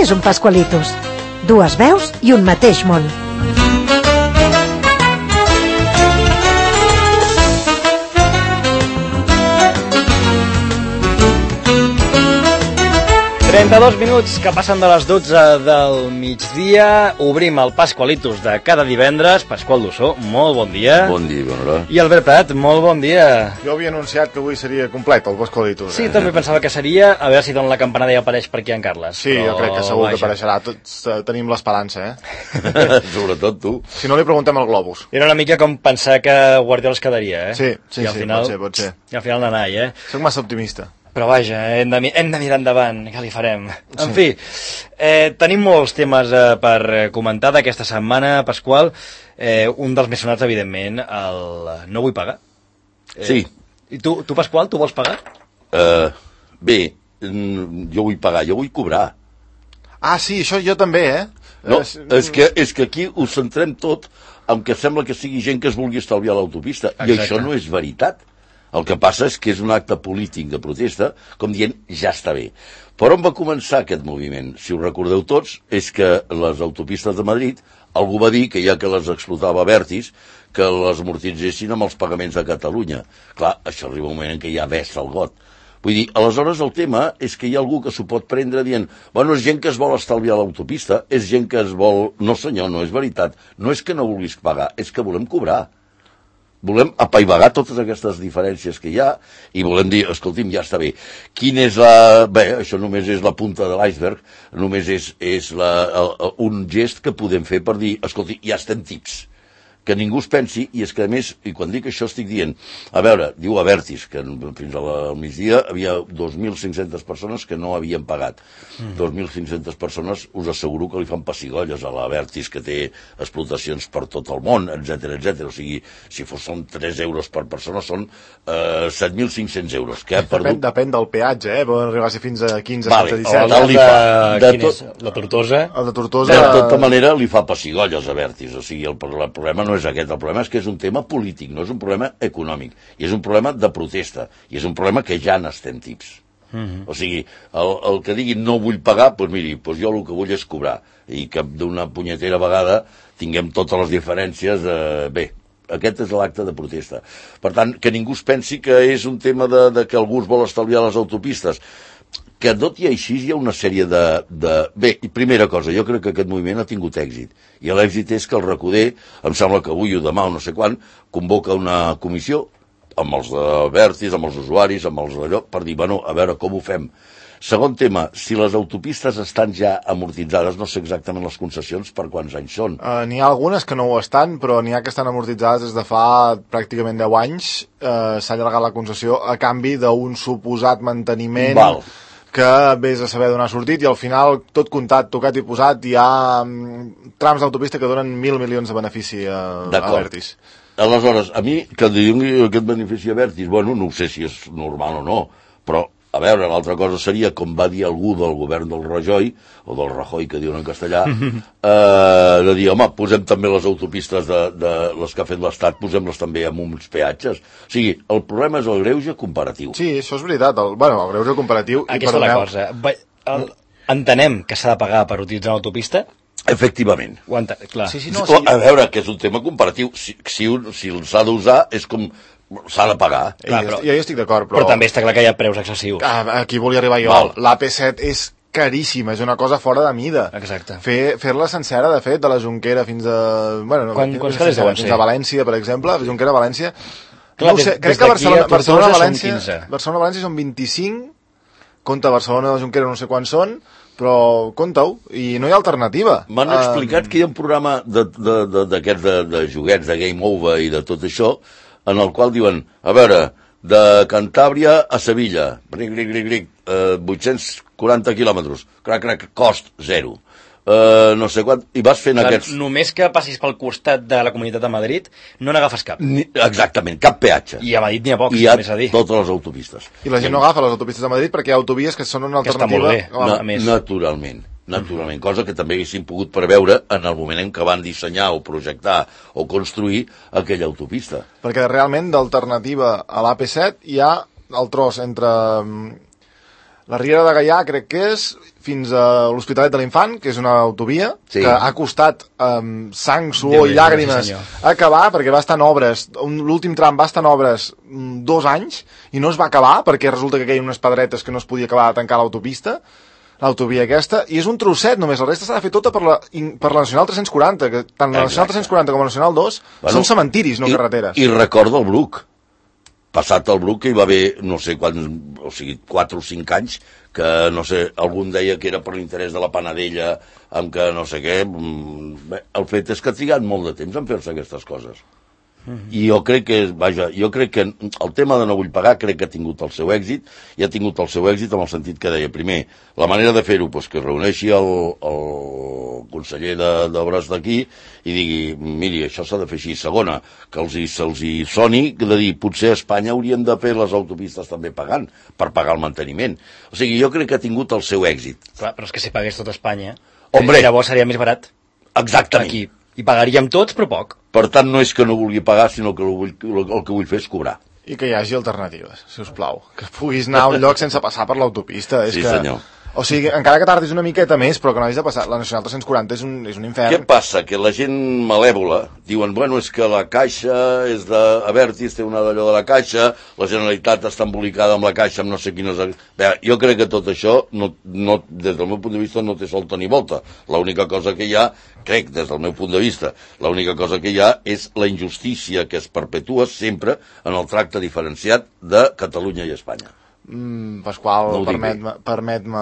és un Pascualitos? Dues veus i un mateix món. Dos minuts que passen de les 12 del migdia. Obrim el Pascualitos de cada divendres. Pasqual Dussó, molt bon dia. Bon dia, bona hora. I Albert Prat, molt bon dia. Jo havia anunciat que avui seria complet el Pascualitos. Sí, també pensava que seria. A veure si dona la campanada i apareix per aquí en Carles. Sí, però, jo crec que segur que apareixerà. Tots tenim l'esperança, Sobretot tu. Si no, li preguntem al Globus. Era una mica com pensar que Guardiola es quedaria, Sí, I al final, pot ser. I al final d'anar, Soc massa optimista. Però vaja, hem de mirar endavant, què li farem? En fi, tenim molts temes per comentar d'aquesta setmana, Pasqual. Un dels més sonats, evidentment, el no vull pagar. Sí. I tu, Pasqual, tu vols pagar? Bé, jo vull pagar, jo vull cobrar. Ah, sí, això jo també, No, és que aquí ho centrem tot en que sembla que sigui gent que es vulgui estalviar l'autopista. I això no és veritat. El que passa és que és un acte polític de protesta, com dient, ja està bé. Per on va començar aquest moviment? Si ho recordeu tots, és que les autopistes de Madrid, algú va dir que ja que les explotava Abertis, que les amortitzessin amb els pagaments de Catalunya. Clar, això arriba un moment en què ja vessa el got. Vull dir, aleshores el tema és que hi ha algú que s'ho pot prendre dient bueno, és gent que es vol estalviar l'autopista, és gent que es vol... No senyor, no és veritat. No és que no vulguis pagar, és que volem cobrar. Volem apaivagar totes aquestes diferències que hi ha i volem dir, escolti'm, ja està bé. Quin és la... Bé, això només és la punta de l'iceberg, només és un gest que podem fer per dir, escolti, ja estem tips. Que ningú es pensi, i és que a més, i quan dic això estic dient, a veure, diu Abertis, que fins al migdia havia 2.500 persones que no havien pagat. 2.500 persones, us asseguro que li fan pessigolles a l'Abertis, que té explotacions per tot el món, etc. O sigui, si són 3 euros per persona, són 7.500 euros. Que ha perdut... Depèn del peatge, poden arribar a ser fins a 15, vale, 17. Quin és? La Tortosa? El de Tortosa... De tota manera, li fa pessigolles a Abertis. O sigui, el problema no és aquest, el problema és que és un tema polític, no és un problema econòmic, i és un problema de protesta, i és un problema que ja n'estem tips. O sigui, el que digui no vull pagar, doncs miri, jo el que vull és cobrar, i que d'una punyetera vegada tinguem totes les diferències, bé, aquest és l'acte de protesta. Per tant, que ningú es pensi que és un tema de que algú es vol estalviar les autopistes, que tot i així hi ha una sèrie de... Bé, i primera cosa, jo crec que aquest moviment ha tingut èxit. I l'èxit és que el Recoder, em sembla que avui o demà o no sé quan, convoca una comissió amb els de Abertis, amb els usuaris, amb els d'allò, per dir, bueno, a veure com ho fem. Segon tema, si les autopistes estan ja amortitzades, no sé exactament les concessions per quants anys són. N'hi ha algunes que no ho estan, però n'hi ha que estan amortitzades des de fa pràcticament 10 anys. S'ha allargat la concessió a canvi d'un suposat manteniment... Val. Que vés a saber d'on ha sortit i al final, tot comptat, tocat i posat, hi ha trams d'autopista que donen 1.000 milions de benefici a Abertis. Aleshores, a mi, que doni aquest benefici a Abertis, bueno, no sé si és normal o no, però, a veure, l'altra cosa seria, com va dir algú del govern del Rajoy, o del Rajoy, que diuen en castellà, de dir, home, posem també les autopistes de les que ha fet l'Estat, posem-les també amb uns peatges. O sigui, el problema és el greuge comparatiu. Sí, això és veritat, el greuge comparatiu... Aquesta és la cosa. Entenem que s'ha de pagar per utilitzar l'autopista? Efectivament. Clar. Sí, A veure, que és un tema comparatiu. Si s'ha d'usar, és com... s'ha de pagar. Clar, jo hi estic d'acord, però també està clar que hi ha preus excessius. Aquí volia arribar jo. L'AP7 és caríssima, és una cosa fora de mida. Exacte. Fer-la sencera, de fet, de la Jonquera fins a... Quants calés deuen ser? Fins a València, per exemple, Jonquera-València. Clar, no ho sé, crec que Barcelona-València són 25, compta Barcelona-Jonquera no sé quants són, però compta-ho, i no hi ha alternativa. M'han explicat que hi ha un programa d'aquests de joguets, de Game Over i de tot això, en el qual diuen, a veure, de Cantàbria a Sevilla, 840 quilòmetres, cost zero. No sé quant, i vas fent aquests... Només que passis pel costat de la Comunitat de Madrid, no n'agafes cap. Exactament, cap peatge. I a Madrid n'hi ha pocs, més a dir. I totes les autopistes. I la gent no agafa les autopistes de Madrid perquè hi ha autovies que són una alternativa... Que està molt bé, Naturalment, cosa que també haguéssim pogut preveure en el moment en què van dissenyar o projectar o construir aquella autopista. Perquè realment d'alternativa a l'AP7 hi ha el tros entre La Riera de Gaià crec que és fins a l'Hospitalet de l'Infant, que és una autovia que ha costat sang, suor i llàgrimes acabar, perquè va estar en obres, l'últim tram va estar en obres 2 anys i no es va acabar perquè resulta que queien unes pedretes que no es podia acabar de tancar l'autopista, l'autovia aquesta, i és un trosset només, la resta s'ha de fer tota per la Nacional 340, que tant la Nacional 340 com la Nacional 2 són cementiris, no carreteres. I recorda el Bruc. Passat el Bruc, que hi va haver, no sé quants, o sigui, 4 o 5 anys, que, no sé, algun deia que era per l'interès de la Panadella, amb que no sé què. Bé, el fet és que ha trigat molt de temps en fer-se aquestes coses. I jo crec que, el tema de no vull pagar crec que ha tingut el seu èxit, i ha tingut el seu èxit en el sentit que deia, primer, la manera de fer-ho, doncs que es reuneixi el conseller d'Obres d'aquí i digui, miri, això s'ha de fer així. Segona, que se'ls hi soni de dir, potser a Espanya haurien de fer les autopistes també pagant, per pagar el manteniment. O sigui, jo crec que ha tingut el seu èxit. Clar, però és que si pagués tot Espanya, llavors seria més barat. Exactament. Aquí. I pagaríem tots, però poc. Per tant, no és que no vulgui pagar, sinó que el que vull fer és cobrar. I que hi hagi alternatives, si us plau. Que puguis anar a un lloc sense passar per l'autopista. Sí, senyor. O sigui, encara que tardis una miqueta més, però que no hagis de passar. La Nacional 340 és un infern. Què passa? Que la gent malèvola diuen, bueno, és que la Caixa és d'Abertis, té una d'allò de la Caixa, la Generalitat està embolicada amb la Caixa, amb no sé quines... Bé, jo crec que tot això, des del meu punt de vista, no té solta ni volta. L'única cosa que hi ha, crec, des del meu punt de vista, l'única cosa que hi ha és la injustícia que es perpetua sempre en el tracte diferenciat de Catalunya i Espanya. Pasqual, permet-me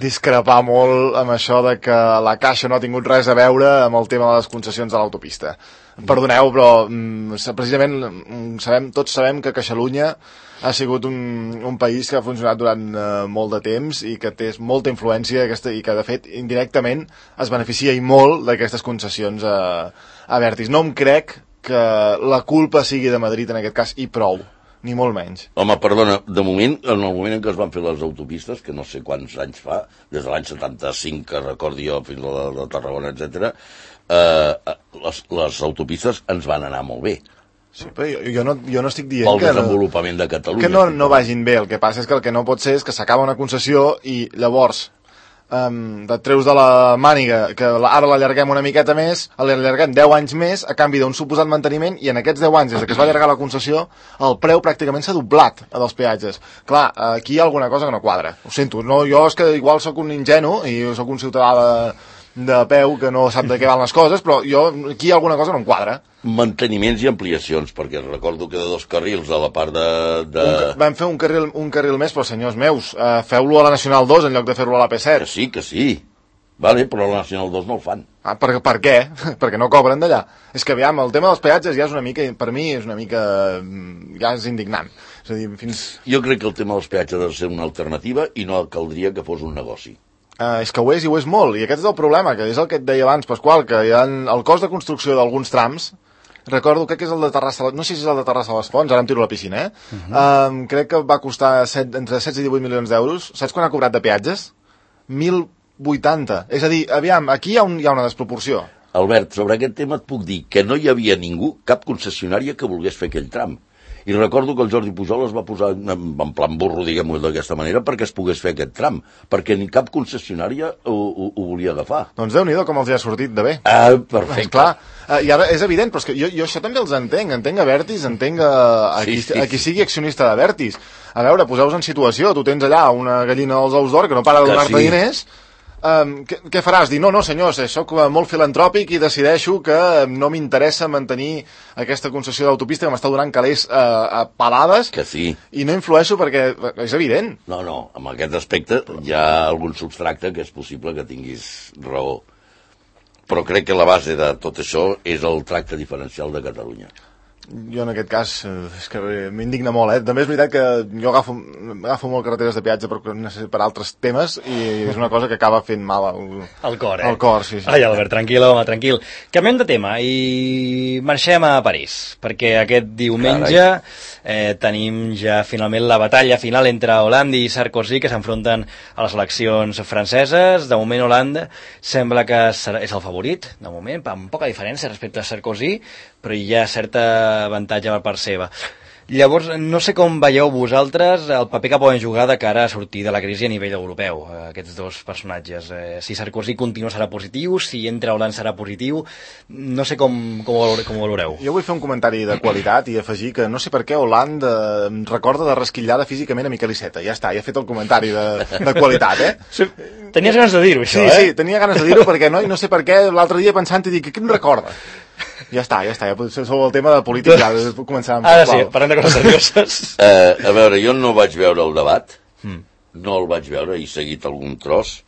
discrepar molt amb això de que la Caixa no ha tingut res a veure amb el tema de les concessions de l'autopista. Perdoneu, però precisament tots sabem que Catalunya ha sigut un país que ha funcionat durant molt de temps i que té molta influència i que, de fet, indirectament es beneficia i molt d'aquestes concessions a Abertis. No em crec que la culpa sigui de Madrid en aquest cas, i prou. Ni molt menys. Home, perdona, de moment, en el moment en què es van fer les autopistes, que no sé quants anys fa, des de l'any 75, que recordi jo, fins a la de Tarragona, etc., les autopistes ens van anar molt bé. Sí, però jo no estic dient pel desenvolupament de Catalunya. Que no vagin bé. El que passa és que el que no pot ser és que s'acaba una concessió i llavors et treus de la màniga que ara l'allarguem una miqueta més, l'allarguem 10 anys més a canvi d'un suposat manteniment, i en aquests 10 anys des que es va allargar la concessió el preu pràcticament s'ha doblat dels peatges. Clar, aquí hi ha alguna cosa que no quadra, ho sento, no, jo és que igual sóc un ingenu i sóc un ciutadà de peu que no sap de què van les coses, però aquí hi ha alguna cosa que no em quadra. Manteniments i ampliacions, perquè recordo que de 2 carrils a la part de... Vam fer un carril més, però senyors meus, feu-lo a la Nacional 2 en lloc de fer-lo a la P7. Que sí. Vale, però a la Nacional 2 no el fan. Per què? Perquè no cobren d'allà. És que, aviam, el tema dels peatges ja és una mica, per mi, és una mica... ja és indignant. És a dir, Jo crec que el tema dels peatges ha de ser una alternativa i no caldria que fos un negoci. És que ho és, i ho és molt, i aquest és el problema, que és el que et deia abans, Pasqual, que hi ha el cost de construcció d'alguns trams, recordo, crec que és el de Terrassa, no sé si és el de Terrassa a les Fonts, ara em tiro a la piscina, crec que va costar entre 16 i 18 milions d'euros. Saps quan ha cobrat de peatges? 1.080. És a dir, aviam, aquí hi ha una desproporció. Albert, sobre aquest tema et puc dir que no hi havia ningú, cap concessionària que volgués fer aquell tram. I recordo que el Jordi Pujol es va posar en plan burro, diguem-ho d'aquesta manera, perquè es pogués fer aquest tram, perquè ni cap concessionària ho volia agafar. Doncs Déu-n'hi-do com els hi ha sortit de bé. Perfecte. Clar, i ara és evident, però és que jo això també els entenc Abertis, entenc a qui sigui accionista d'Abertis. A veure, poseu-vos en situació, tu tens allà una gallina dels ous d'or que no para de donar-te diners. Què faràs? Dir, no senyors, soc molt filantròpic i decideixo que no m'interessa mantenir aquesta concessió d'autopista que m'està donant calés a palades, que sí. I no influeixo perquè és evident. No, amb aquest aspecte hi ha algun substracte que és possible que tinguis raó, però crec que la base de tot això és el tracte diferencial de Catalunya. Jo en aquest cas és que m'indigna molt, També és veritat que jo agafo molt carreteres de peatge per altres temes i és una cosa que acaba fent mal al cor, al cor, sí. Ai, Albert, tranquil, home, tranquil. Canviem de tema i marxem a París, perquè aquest diumenge tenim ja finalment la batalla final entre Hollande i Sarkozy, que s'enfronten a les eleccions franceses. De moment Hollande sembla que és el favorit, de moment, amb poca diferència respecte a Sarkozy, però hi ha certa avantatge per part seva. Llavors, no sé com veieu vosaltres el paper que poden jugar de cara a sortir de la crisi a nivell europeu, aquests dos personatges. Si Sarkozy continua serà positiu, si entra Hollande serà positiu, no sé com ho valoreu. Jo vull fer un comentari de qualitat i afegir que no sé per què Hollande recorda de resquillada físicament a Miquel Iceta. Ja està, ja he fet el comentari de qualitat, Sí, tenies ganes de dir-ho, això, Sí, tenia ganes de dir-ho perquè no sé per què l'altre dia pensant i dic, què em recorda? Ja està, ja potser sobre el tema de política ja començàvem. Ara sí, parlem de coses serioses. A veure, jo no vaig veure el debat, no el vaig veure, he seguit algun tros.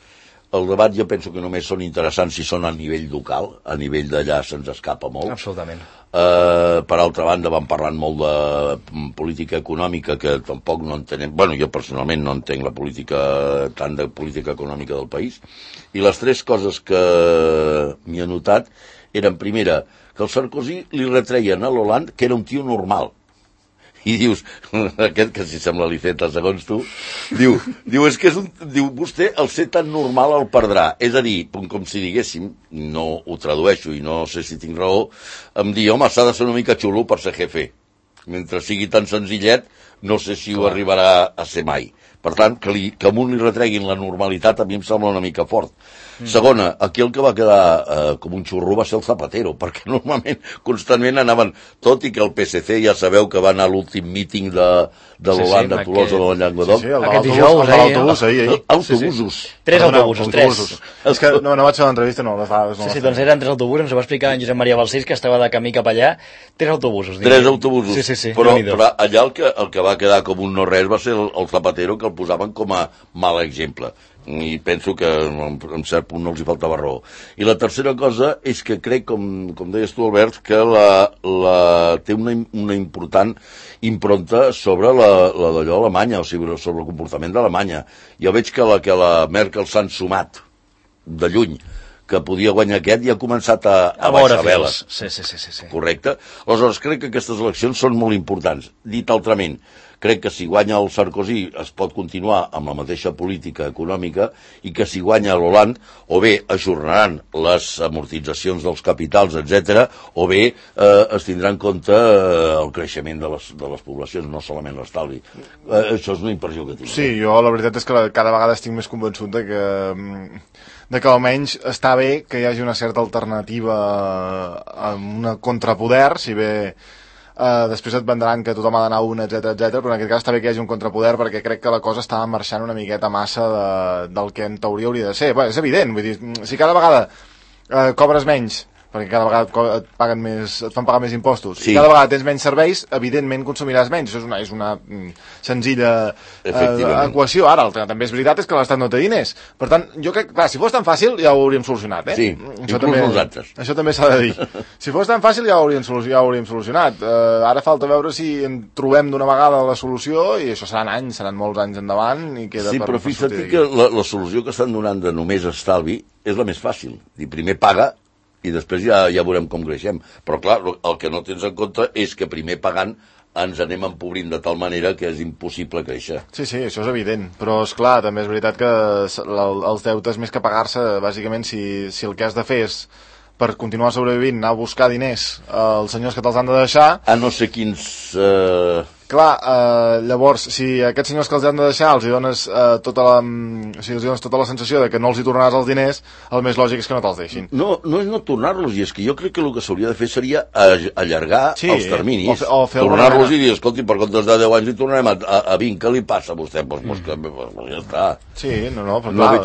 El debat jo penso que només són interessants si són a nivell local, a nivell d'allà se'ns escapa molt. Absolutament. Per altra banda van parlant molt de política econòmica que tampoc no entenem, bueno, jo personalment no entenc la política, tant de política econòmica del país, i les tres coses que m'hi he notat eren, primera, que el Sarkozy li retreien a l'Hollande que era un tio normal. I dius, aquest que si sembla l'Iceta segons tu, diu, és que és diu, vostè el ser tan normal el perdrà. És a dir, com si diguéssim, no ho tradueixo i no sé si tinc raó, em diu, home, s'ha de ser una mica xulo per ser jefe. Mentre sigui tan senzillet, no sé si ho arribarà a ser mai. Per tant, que a un li retreguin la normalitat a mi em sembla una mica fort. Segona, aquí el que va quedar com un xurro va ser el Zapatero, perquè normalment, constantment anaven, tot i que el PSC ja sabeu que va anar a l'últim míting de l'Hollande a Tolosa de la Llenguadoc. Aquest dijous, ahir. Autobusos. Tres autobusos, tres. És que no vaig fer l'entrevista, no, les dades no. Sí, doncs eren tres autobusos, ens ho va explicar en Josep Maria Balcells, que estava de camí cap allà. Tres autobusos. Tres autobusos. Sí. Però allà el que va quedar com un no-res va ser el Zapatero, que el posaven com a mal exemple. I penso que en cert punt no els hi faltava raó. I la tercera cosa és que crec, com deies tu, Albert, que té una important impronta sobre d'allò Alemanya, o sigui, sobre el comportament d'Alemanya. Jo veig que la Merkel s'han sumat de lluny, que podia guanyar aquest i ha començat a baixar veles. Sí. Correcte? Aleshores, crec que aquestes eleccions són molt importants. Dit altrament, crec que si guanya el Sarkozy es pot continuar amb la mateixa política econòmica i que si guanya l'Hollande o bé ajornaran les amortitzacions dels capitals, etc., o bé es tindrà en compte el creixement de les poblacions, no solament l'estalvi. Això és una impressió que tinc. Sí, jo la veritat és que cada vegada estic més convençut de que almenys està bé que hi hagi una certa alternativa a un contrapoder, si bé després et vendran que tothom ha d'anar un, etc, però en aquest cas està bé que hi hagi un contrapoder perquè crec que la cosa està marxant una miqueta massa del que en teoria hauria de ser. Bé, és evident, vull dir, si cada vegada cobres menys, perquè cada vegada et fan pagar més impostos, i cada vegada tens menys serveis, evidentment consumiràs menys. Això és una senzilla equació. Ara, el que també és veritat és que l'Estat no té diners. Per tant, jo crec, clar, si fos tan fàcil ja ho hauríem solucionat, Sí, inclús nosaltres. Això també s'ha de dir. Si fos tan fàcil ja ho hauríem solucionat. Ara falta veure si en trobem d'una vegada la solució, i això seran anys, seran molts anys endavant, i queda per fixa't que la solució que estan donant de només estalvi és la més fàcil. Primer paga i després ja veurem com creixem. Però clar, el que no tens en compte és que primer pagant ens anem empobrint de tal manera que és impossible créixer. Sí, això és evident, però és clar, també és veritat que els deutes més que pagar-se, bàsicament, si el que has de fer és per continuar sobrevivint, anar a buscar diners als senyors que te'ls han de deixar... A no sé quins... Clar, llavors, si a aquests senyors que els han de deixar els dones tota la sensació de que no els hi tornaràs els diners, el més lògic és que no te'ls deixin. No és no tornar-los, i és que jo crec que el que s'hauria de fer seria allargar els terminis, tornar-los i dir, escolti, per comptes de 10 anys hi tornarem a 20, què li passa a vostè? Doncs ja està. Sí, però clar,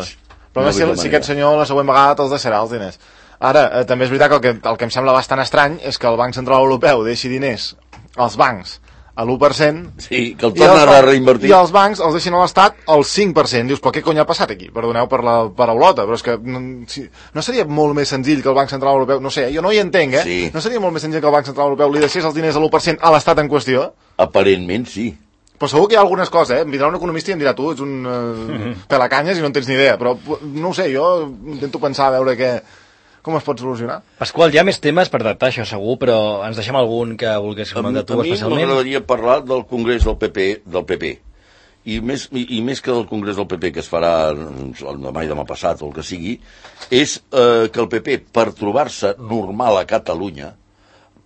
però si aquest senyor la següent vegada te'ls deixarà els diners. Ara, també és veritat que el que em sembla bastant estrany és que el Banc Central Europeu deixi diners als bancs a l'1%, sí, que el tornen a reinvertir, i els bancs els deixin a l'Estat al 5%. Dius, però què cony ha passat aquí? Perdoneu per la paraulota, però és que no seria molt més senzill que el Banc Central Europeu, no sé, jo no hi entenc, sí. No seria molt més senzill que el Banc Central Europeu li deixés els diners a l'1% a l'Estat en qüestió? Aparentment sí. Però segur que hi ha algunes coses, em vindrà un economista i em dirà, tu ets un pelacanyes i no en tens ni idea, però no ho sé, jo intento pensar a veure com es pot solucionar. Pasqual, hi ha més temes per tractar, això segur, però ens deixem algun que vulguis comentar tu especialment? A mi m'agradaria parlar del Congrés del PP. I més que del Congrés del PP, que es farà demà i demà passat o el que sigui, és que el PP, per trobar-se normal a Catalunya,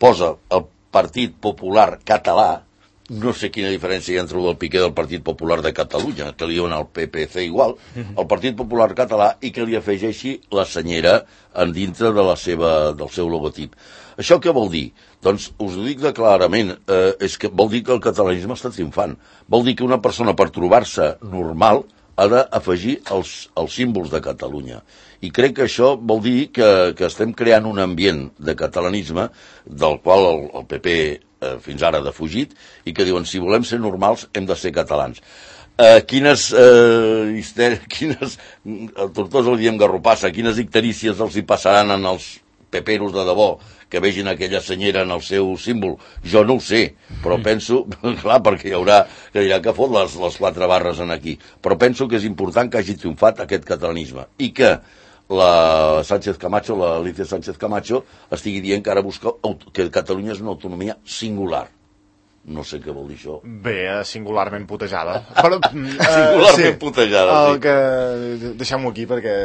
posa el Partit Popular Català no sé quina diferència hi ha entre el del Piqué del Partit Popular de Catalunya, que li diuen al PPC igual, el Partit Popular català, i que li afegeixi la senyera en dintre de del seu logotip. Això què vol dir? Doncs us ho dic clarament, és que vol dir que el catalanisme està triomfant. Vol dir que una persona, per trobar-se normal, ha d'afegir els símbols de Catalunya. I crec que això vol dir que estem creant un ambient de catalanisme del qual el PP fins ara ha defugit, i que diuen, si volem ser normals, hem de ser catalans. Quines a Tortosa li diem garropassa, quines icterícies els hi passaran en els peperos de debò que vegin aquella senyera en el seu símbol? Jo no ho sé, però penso, clar, perquè hi haurà que dirà que fot les 4 barres en aquí, però penso que és important que hagi triomfat aquest catalanisme, i que la Sánchez Camacho, la Alicia Sánchez Camacho, estigui dient que ara busca que Catalunya és una autonomia singular. No sé què vol dir això. Bé, singularment putejada. Singularment putejada, sí. Deixem-ho aquí perquè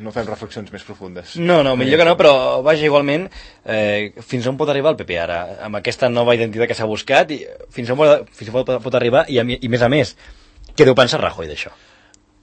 no fem reflexions més profundes. No, millor que no, però vaja, igualment, fins on pot arribar el PP ara? Amb aquesta nova identitat que s'ha buscat, fins on pot arribar, i més a més, què deu pensar Rajoy d'això?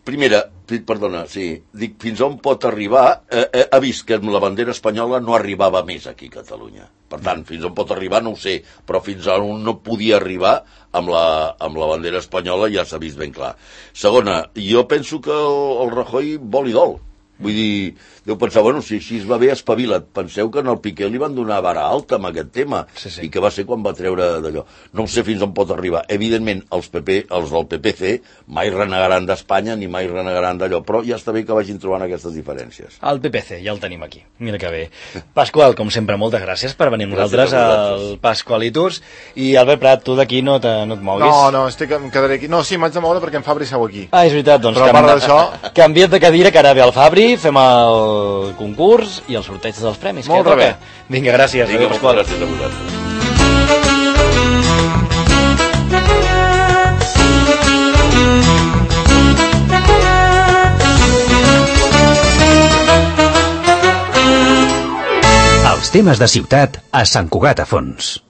Primera, perdona, sí, dic, fins on pot arribar, ha vist que amb la bandera espanyola no arribava més aquí a Catalunya. Per tant, fins on pot arribar no ho sé, però fins on no podia arribar amb la bandera espanyola ja s'ha vist ben clar. Segona, jo penso que el Rajoy vol i dol. Vull dir, deu pensar, bueno, si així es va bé, espavila't. Penseu que en el Piqué li van donar vara alta amb aquest tema, i que va ser quan va treure d'allò. No sé fins on pot arribar. Evidentment, els del PPC mai renegaran d'Espanya ni mai renegaran d'allò, però ja està bé que vagin trobant aquestes diferències. El PPC, ja el tenim aquí. Mira que bé. Pasqual, com sempre, moltes gràcies per venir amb nosaltres al Pasqualitus. I Albert Prat, tu d'aquí no et moguis? No, em quedaré aquí. No, sí, m'haig de moure perquè en Fabri seu aquí. Ah, és veritat, doncs però a part d'això, canvia't de cadira, que ara ve el Fabri, fem el concurs i el sorteig dels premis. Molt bé. Vinga, gràcies. Vinga, Pasqual. Gràcies a vosaltres. Els temes de ciutat a Sant Cugat a Fons.